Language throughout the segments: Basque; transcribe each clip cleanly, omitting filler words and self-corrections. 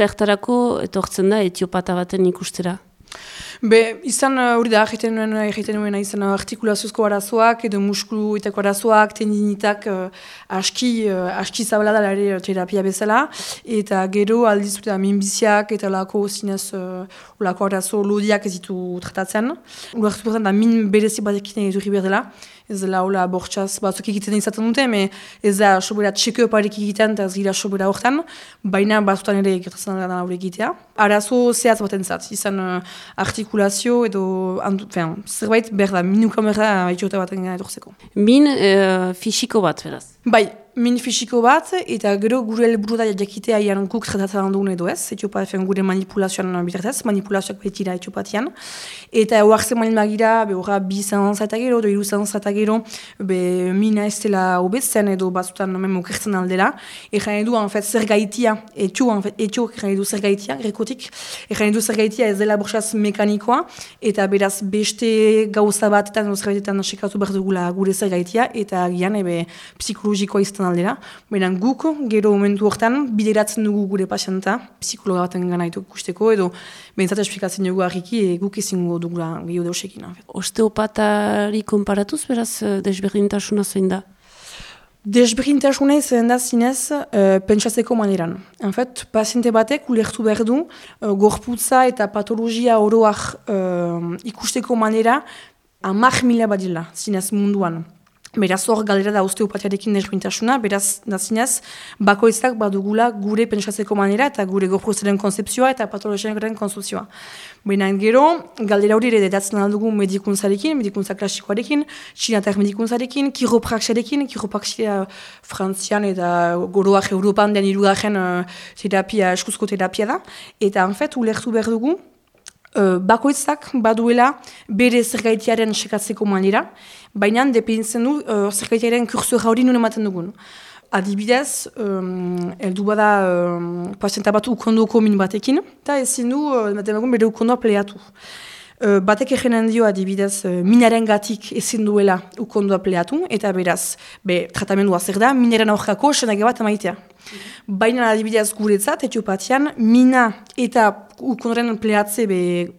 zertarako etortzen da etiopata baten ikustera? Izan hori da, egiten nuena izan artikulaziozko arazoak edo muskuluetako arazoak, tendinitak aski zabala da ere terapia bezala, eta gero aldiz minbiziak eta lako zinez lako arazo lodiak ez ditu tratatzen. Ulertu da min berezi batekin edurri behar dela, ez dela hola bortxaz batzuk egiten izaten dute, ez da sobera txeko parek egiten eta ez gira sobera horretan, baina batzutan ere gertatzen da hori egitea. Arazo zehatz baten zat, izan artikulazio edo zerbait behar da, minuka behar da etxota baten gana edorzeko. Min fisiko bat, beraz? Bai, min fisiko bat, eta gero gure helburu da jakitea ian guk tratatzen dugun edo ez, etiopatean gure manipulazioan bitartez, manipulazioak betira etiopatian, eta oartzen malin magira, horra 200 eta gero, 200 eta gero, mina ez dela obetzen edo batzutan okertzen aldela, egan edu, zer gaitia, etio egan edu zer gaitia, grekotik, egan edu zer gaitia ez dela borxaz mekanikoa, eta beraz beste gauza batetan, zerbaitetan sekatu behar dugula gure zer gaitia, eta gian psikologikoa izan aldera. Baina guk, gero momentu hortan, bideratzen dugu gure pasienta, psikologa baten gana ikusteko, edo behintzat esplikatzen dugu harriki, guk ezingo dugula gehiago deusekin. Osteopatari konparatuz, beraz, desberdintasuna zein da? Desberdintasuna izan da zinez pentsatzeko maneran. En fait, paziente batek ulertu behar du, gorputza eta patologia oroak ikusteko manera 10.000 badila, zinez munduan. Beraz hor galera da osteopatiarekin desberdintasuna, beraz zinez bakoitzak badugula gure pentsatzeko manera eta gure gorputzaren konzepzioa eta patologiaren konzepzioa. Baina gero, galdera hori ere dedatzen aldugu medikuntza klasikoarekin, txinatar medikuntzarekin, kiropraxiarekin, frantzian eta goroak Europan den irugaren terapia, eskuzko terapia da. Eta en fait, ulertu behar dugu, bakoitzak baduela bere zergaitiaren sekatzeko manera, baina dependtzen du zergaitiaren kursora hori nun ematen dugun. Adibidez, heldu bada pazienta bat ukondoko min batekin, eta ezin du bere ukondoa pleatu. Batek egenen dio adibidez minaren gatik ezin duela ukondoa pleatu, eta beraz, tratamendua zer da, minaren aurkako senage bat emaitea. Baina adibidez guretzat, etiopatian, mina eta ukondoren pleatze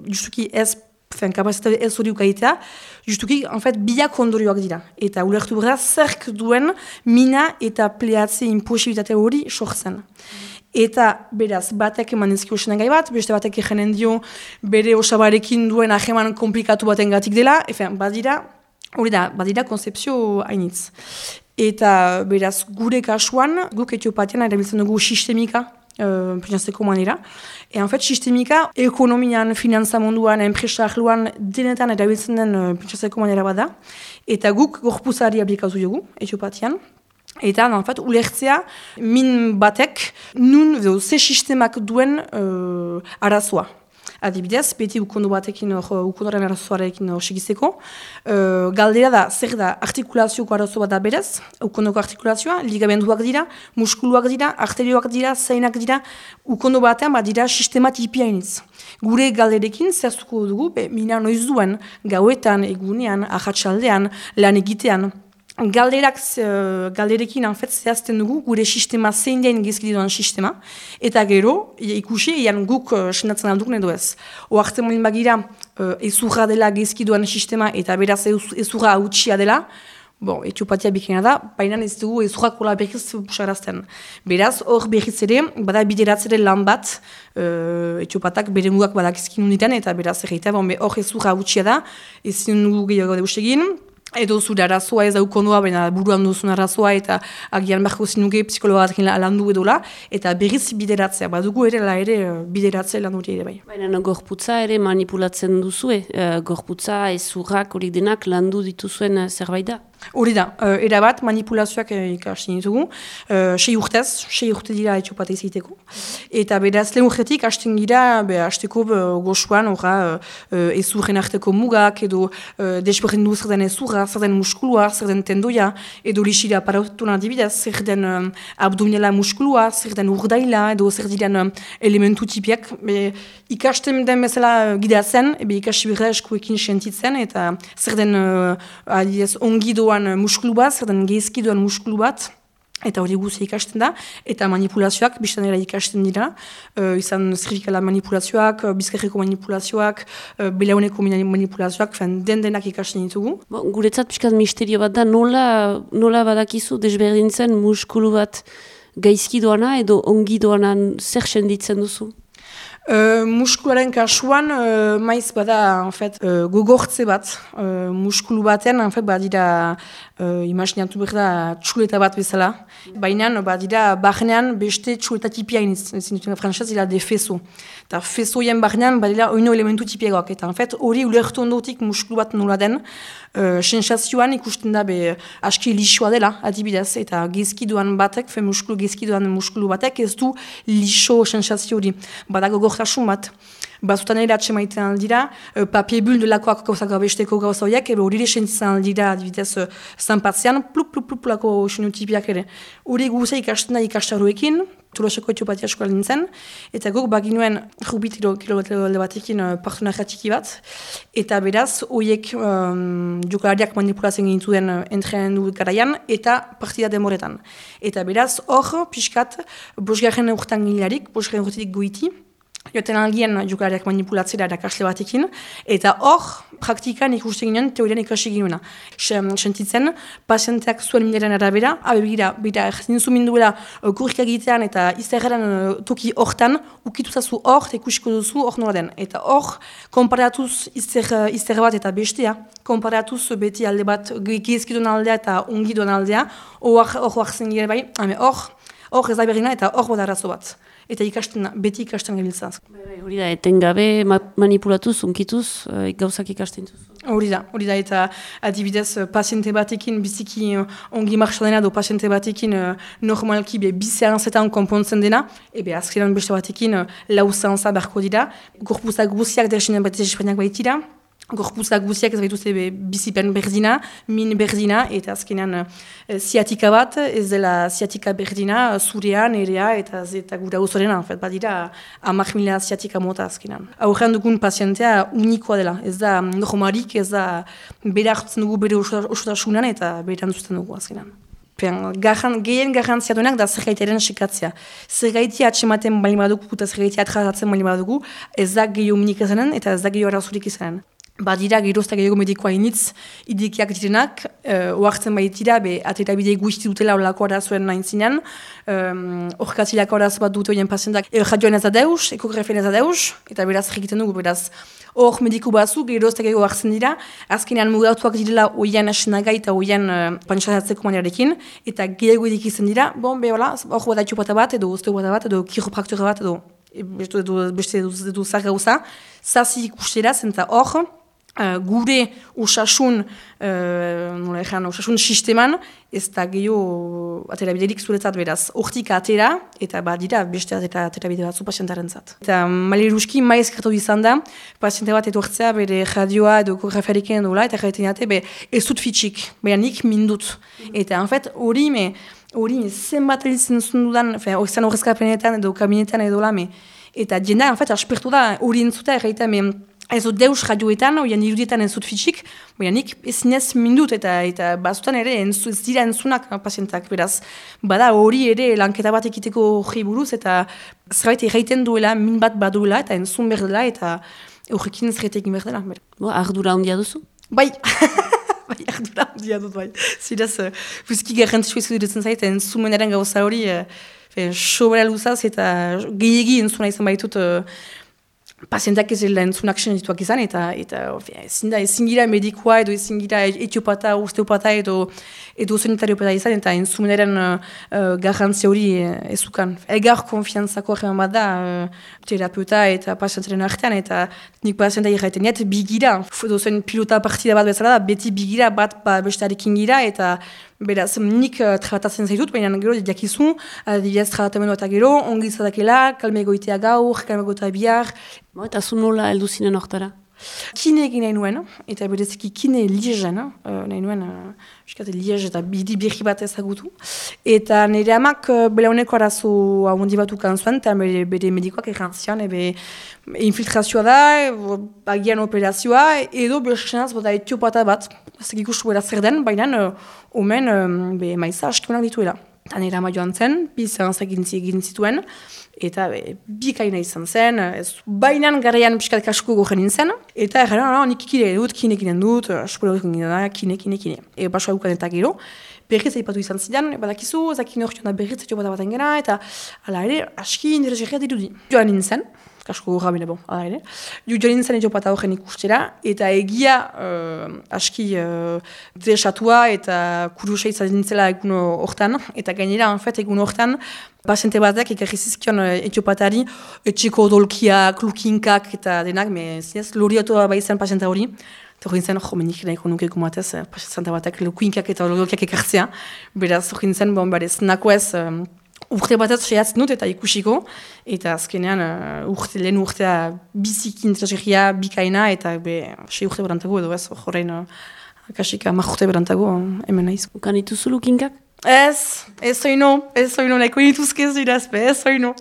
justuki ez, kapazitate ez hori ukaitea, justuki, en fait, biak ondorioak dira. Eta ulertu behar zerk duen mina eta pleatze imposibilitate hori sortzen. Eta, beraz, batek eman ezkio senagai bat, beste batek egenen dio bere osabarekin duen aheman komplikatu baten gatik dela, badira konzepzio hainitz. Eta, beraz, gure kasuan, guk etiopatian erabiltzen dugu sistemika, pentsatzeko manera. En fait, sistemika, ekonomian, finantza munduan, enpresa ahluan, denetan erabiltzen den pentsatzeko manera bada. Eta guk gorpuzari aplikatu dugu, etiopatian. Eta, en fait, ulertzea, min batek, nun, ze sistemak duen arazoa. Adibidez, beti ukondo batekin, ukondoren arazoarekin segizeko. Galdera da, zer da, artikulazioko arazo bat da berez, ukondoko artikulazioa, ligamenduak dira, muskuluak dira, arterioak dira, zainak dira, ukondo batean dira sistema tipiainitz. Gure galderekin zehaztuko dugu, mina noiz duen, gauetan, egunean, ahatsaldean, lan egitean. Galderekin zehazten dugu gure sistema zein den gezkide duan sistema, eta gero, ikusi, guk senatzen aldugun edo ez. Oartzen molin bagira, ezurra dela gezkide duan sistema, eta beraz ezurra hautsia dela, etiopatia bikena da, baina ez dugu ezurra kola berriz pusarazten. Beraz, hor berriz ere, bada bideratzere lan bat, etiopatak bere mugak badakizkin unditan, eta beraz erreita, hor ezurra hautsia da, ezin dugu gehiago deustegin, edo zure arazoa ez daukondoa, baina buruan duzun arazoa eta agian beharko zinuke psikologarekin landu edola, eta berriz bideratzea, badugu ere bideratzea lan hori ere bai. Baina gorputza ere manipulatzen duzue, gorputza ezurrak hori denak landu dituzuen zerbait da? Hori da, erabat manipulazioak ikasten ditugu, 6 urte dira etiopate iziteko. Eta beraz lehen urtetik hasten gira, hasteko goxuan ezurren arteko mugak, edo desberdin du zer den ezurra, zer den muskulua, zer den tendoia, edo lixira parautuna adibidez, zer den abdominala muskulua, zer den urdaila, edo zer diren elementu tipiak. Ikasten den bezala gidatzen, ikasi birra eskuekin sentitzen, eta zer den ongi doan muskulu bat, zer den gezki doan muskulu bat, eta hori guzti ikasten da, eta manipulazioak biztanera ikasten dira, izan zerfikala manipulazioak, bizkerreko manipulazioak, belauneko manipulazioak, denak ikasten ditugu. Guretzat pixkat misterio bat da, nola badakizu desberdintzen muskulu bat gaizki doana edo ongi doana zer senditzen duzu? Muskularen kasuan, maiz bada, gogortze bat, muskulu baten, badira, imaginatu behar da, txuleta bat bezala. Baina, badira, barnean, beste txuleta tipia zinutena franxez, ila de feso. Eta fesoien barnean, badira, oino elementu tipiagoak. Eta, hori ulertu ondotik muskulu bat nola den, sensazioan ikusten da, aski lixoa dela, adibidez, eta gezkiduan batek, gezkiduan muskulu batek, ez du lixo sensazio hori. Badago gortasun bat. Bazutan ere atxemaiten aldira, papie bul delakoak gauzak abesteko gauza horiek, hori sentitzen aldira, adibidez, zanpatzean, pluk-pluk-pluk-plako sinutipiak ere. Hori guzea ikasten da ikastaroekin, Tolosako etiopatia eskola nintzen, eta guk baginuen rubit kilometre batekin partenarra txiki bat, eta beraz, horiek jokalariak manipulatzen gintzuen entrenu garaian, eta partida demoretan. Eta beraz, hor, pixkat, bosgarren urtan gilarik, bosgarren urtetik goiti, joten algien jokalariak manipulatzera erakasle batekin, eta hor, praktikan ikusten ginen, teorian ikasi ginuena. Sentitzen, pazienteak zuen minaren arabera, bera, zinzu minduela kurkak egitean eta izterren toki hortan, ukituzazu hor, eta ikusiko duzu hor nola den. Eta hor, konparatuz izter bat eta bestea, konparatuz beti alde bat gezkidun aldea eta ongidun aldea, hor zen gire bai, hor ez da berrina eta hor bodarrazo bat. Eta beti ikasten gabiltzaz. Hori da, etengabe manipulatuz, unkituz, gauzak ikasten duzu. Hori da, eta adibidez, paziente batekin biziki ongi marxa dena, do paziente batekin normalki bizean zetan konpontzen dena, azkeran beste batekin lauzantza beharko dira, gorpuzak guziak dersinen bat ezespenak baitira, gorpuzak guziak ez baituzte bizipen berdina, min berdina, eta azkenean ziatika bat, ez dela ziatika berdina, zurean, erea, eta gura uzorena, badira 10.000 ziatika mota azkenean. Aurrean dugun pazientea unikoa dela, ez da normalik, ez da bera hartzen dugu bere osotasunan, eta bera antzuten dugu azkenean. Gehien garrantzia duenak da zergaitiaren sekatzea. Zergaitia atxematen bali badugu, eta zergaitia atratatzen bali badugu, ez da gehiago minik izanen, eta ez da gehiago arazurik izanen. Badira gerozta gehiago medikoa initz, idikiak direnak, oartzen baitira, atera bidei guzti dutela olako arazoen nahin zinean, orkatzilako arazo bat dute horien pazientak, radioan ez da deus, ekografien ez da deus, eta beraz egiten dugu, beraz, hor mediku bazu, gerozta gehiago hartzen dira, azkenean mugatuak direla oian esenagai eta oian pantxazatzeko maniarekin, eta gehiago idikizen dira, hor bada etxopata bat, edo osteopata bat, edo kiropraktora bat, edo beste edo zar gauza, zazi ikustera, zenta hor, gure osasun sisteman, ez da gehiago atera biderik zuretzat beraz. Hortik atera, eta badira beste atera bide batzu pazientaren zat. Eta maleruski maiz kertu izan da, paziente bat etortzea bere radioa edo koreferikean dola, eta jaiten jate, ez dut fitxik, baina nik mindut. Eta hori zenbat elitzen zundudan, izan horrezkapenetan edo kabinetan edo lame. Eta jendea, aspertu da, hori entzuta erraita, ez dut deus radioetan, oian irudietan ez dut fitxik, baina nik ezinez mindut eta bazutan ere ez dira entzunak pazientak, beraz. Bada hori ere lanketa bat ekiteko hori buruz, eta zerbait erraiten duela, min bat baduela, eta entzun behar dela, eta horrekin zerretekin behar dela. Ardura handia duzu? Bai, ardura handia dut, bai. Ziraz, buzki garrantzua izuditzen zait, entzumenaren gauza hori, sobera luzaz, eta gehiagi entzuna izan baitut, pazientak ez dela entzunak senituak izan, eta ezin gira medikoa, edo ezin gira etiopata, osteopata, edo sanitariopata izan, eta entzumenaren garrantzia hori ezukan. Egar konfiantzako arreman bat da, terapeuta eta pazientaren artean, eta nik pazienta irraiten diat, bigira, edo zen pilota partida bat bezala da, beti bigira bat bestarekin gira, eta beraz, nik tratatzen zaitut, baina gero diakizu, adibidez tratamendua eta gero, ongi izadakela, kalme egoitea gaur, kalme egoitea bihar. Eta zu nola heldu zinen hortara? Kine egin nahi nuen, eta bereziki kine liezen, nahi nuen, liez eta bidi berri bat ezagutu. Eta nire amak belauneko arazo ahondi bat ukan zuen, eta bere medikoak errantzian, infiltrazioa da, agian operazioa, edo bersenaz bota etiopata bat, ez egikustu bera zer den, baina omen maiza askimenak dituela. Eta nire ama joan zen, bi seanzak egin zituen, eta bikaina izan zen, bainan garaian piskat kasko gogen nintzen, eta nik kine dut, aspolo egin da, kine. Baso haukan eta gero, berriz aipatu izan zidan, badakizu, zakin hor joan da berriz etxo baten gena, eta ala ere, aski interesgarria dirudi. Joan nintzen, kasko gorra bine, ala ere, joan nintzen etxo pata horren ikustera, eta egia aski desatua eta kurusa izan nintzela egun hortan, eta gainera, egun hortan, paziente batek ekarri zizkion etiopatari etxeko odolkiak, lukinkak eta denak, zinez, loriatua bai zen paziente hori. Eta hori nintzen, menik nahiko nuke gumatez, paziente batek lukinkak eta odolkiak ekartzea. Beraz, hori nintzen, nako ez, urte batez sehatzen dut eta ikusiko. Eta azkenean, lehen urtea biziki interesgarria, bikaina, eta 6 urte berantago edo ez, horrein, kasik 10 urte berantago, hemen naiz. Ukan dituzu lukinkak? Ez oino, nahiko dituzkez irazpe, ez oino.